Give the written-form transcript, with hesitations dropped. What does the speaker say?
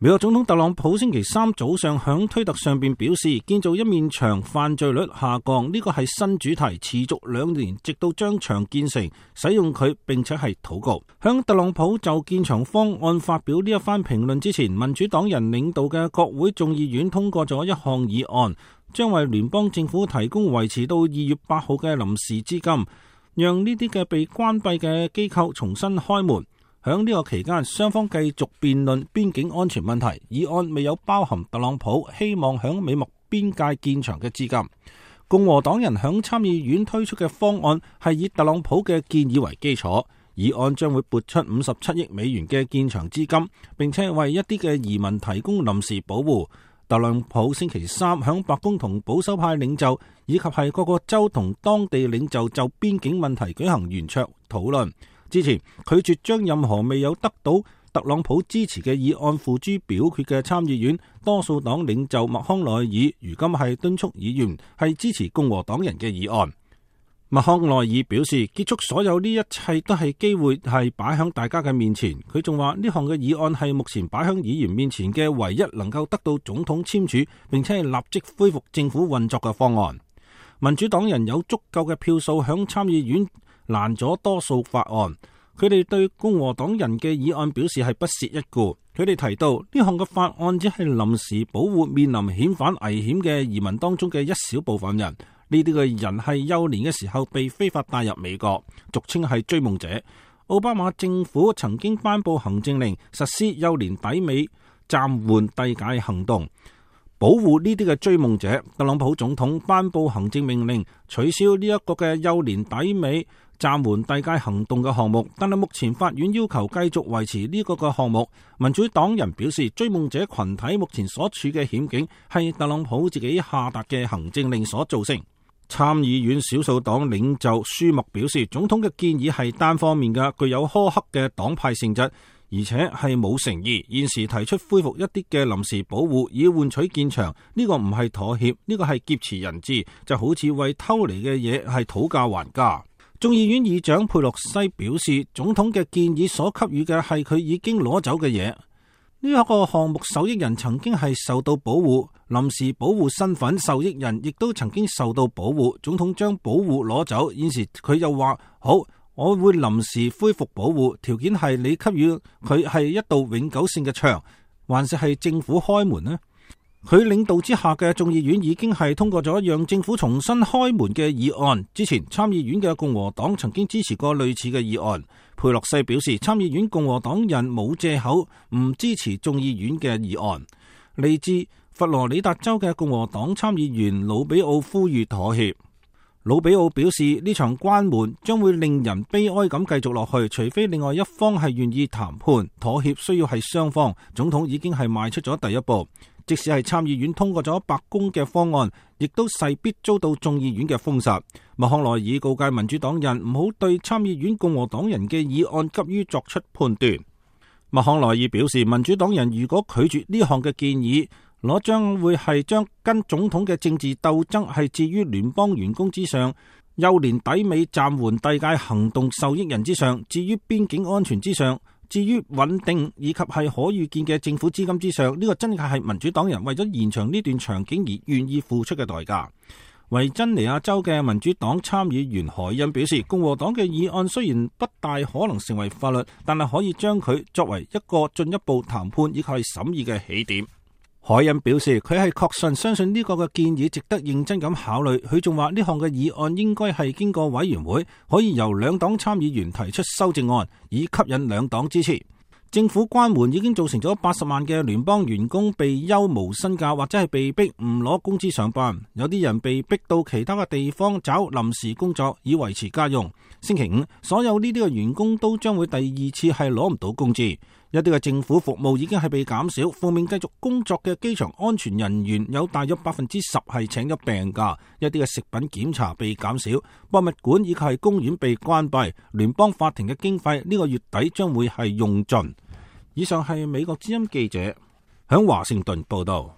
美國總統特朗普星期三早上響推特上邊表示，建造一面牆犯罪率下降，呢個係新主題，持續2年，直到將牆建成，使用佢並且係禱告。響特朗普就建牆方案發表呢一番評論之前，民主黨人領導嘅國會眾議院通過咗一項議案，將為聯邦政府提供維持到2月8號嘅臨時資金，讓呢啲嘅被關閉嘅機構重新開門。響呢個期間，雙方繼續辯論邊境安全問題。議案未有包含特朗普希望響美墨邊界建牆嘅資金。共和黨人響參議院推出嘅方案係以特朗普嘅建議為基礎，議案將會撥出57億美元嘅建牆資金，並且為一啲嘅移民提供臨時保護。特朗普星期三響白宮同保守派領袖以及係各個州同當地領袖就邊境問題舉行圓桌討論。之前拒絕將任何未有得到特朗普支持嘅議案付諸表決嘅參議院多數黨領袖麥康奈爾，如今係敦促議員係支持共和黨人嘅議案。麥康奈爾表示，結束所有呢一切都係機會係擺喺大家嘅面前。佢仲話呢項嘅議案係目前擺喺議員面前嘅唯一能夠得到總統簽署並且係立即恢復政府運作嘅方案。民主黨人有足夠嘅票數響參議院攔咗多數法案，佢哋對共和黨人嘅議案表示係不屑一顧。佢哋提到呢項嘅法案只係臨時保護面臨遣返危險嘅移民當中嘅一小部分人，呢啲嘅人係幼年嘅時候被非法帶入美國，俗稱係追夢者。奧巴馬政府曾經頒布行政令，實施幼年抵美暫緩遞解行動，保護呢啲嘅追夢者。特朗普總統頒布行政命令，取消呢一個嘅幼年抵美暫緩遞解行動嘅項目，但係目前法院要求繼續維持呢個嘅項目。民主黨人表示，追夢者群體目前所處嘅險境係特朗普自己下達嘅行政令所造成。參議院少數黨領袖舒默表示，總統嘅建議係單方面嘅，具有苛刻嘅黨派性質，而且係冇誠意。現時提出恢復一啲嘅臨時保護以換取建牆，呢個唔係妥協，呢個係劫持人質，就好似為偷嚟嘅嘢係討價還價。眾議院議長佩洛西表示，總統嘅建議所給予嘅係佢已經攞走嘅嘢。呢一個項目受益人曾經係受到保護，臨時保護身份受益人亦都曾經受到保護。總統將保護攞走，現時佢又話好，我會臨時恢復保護，條件係你給予佢係一道永久性嘅牆，還是係政府開門呢？佢領導之下嘅眾議院已經係通過咗讓政府重新開門嘅議案。之前參議院嘅共和黨曾經支持過類似嘅議案。佩洛西表示，參議院共和黨人冇借口唔支持眾議院嘅議案。嚟自佛羅里達州嘅共和黨參議員魯比奧呼籲妥協。魯比奧表示，呢場關門將會令人悲哀咁繼續落去，除非另外一方係願意談判。妥協需要係雙方。總統已經係邁出咗第一步。即使係參議院通過咗白宮嘅方案，亦都勢必遭到眾議院嘅封殺。麥康奈爾告誡民主黨人唔好對參議院共和黨人嘅議案急於作出判斷。麥康奈爾表示，民主黨人如果拒絕呢項嘅建議，攞將會係將跟總統嘅政治鬥爭係置於聯邦員工之上，幼年抵美暫緩遞解行動受益人之上，至於邊境安全之上，至於穩定以及係可預見嘅政府資金之上，呢個真係民主黨人為咗延長呢段場景而願意付出嘅代價。維珍尼亞州嘅民主黨參議員海恩表示，共和黨嘅議案雖然不大可能成為法律，但係可以將佢作為一個進一步談判以及係審議嘅起點。海恩表示，佢係確信相信呢個嘅建議值得認真咁考慮。佢仲話呢項嘅議案應該係經過委員會，可以由兩黨參議員提出修正案，以吸引兩黨支持。政府關門已經造成咗80萬嘅聯邦員工被休無薪假，或者係被逼唔攞工資上班。有啲人被逼到其他嘅地方找臨時工作以維持家用。星期五，所有呢啲嘅員工都將會第二次係攞唔到工資。一啲嘅政府服務已經係被減少，奉命繼續工作嘅機場安全人員有大約10%係請咗病假。一啲嘅食品檢查被減少，博物館以及係公園被關閉。聯邦法庭嘅經費呢個月底將會係用盡。以上係美國之音記者響華盛頓報道。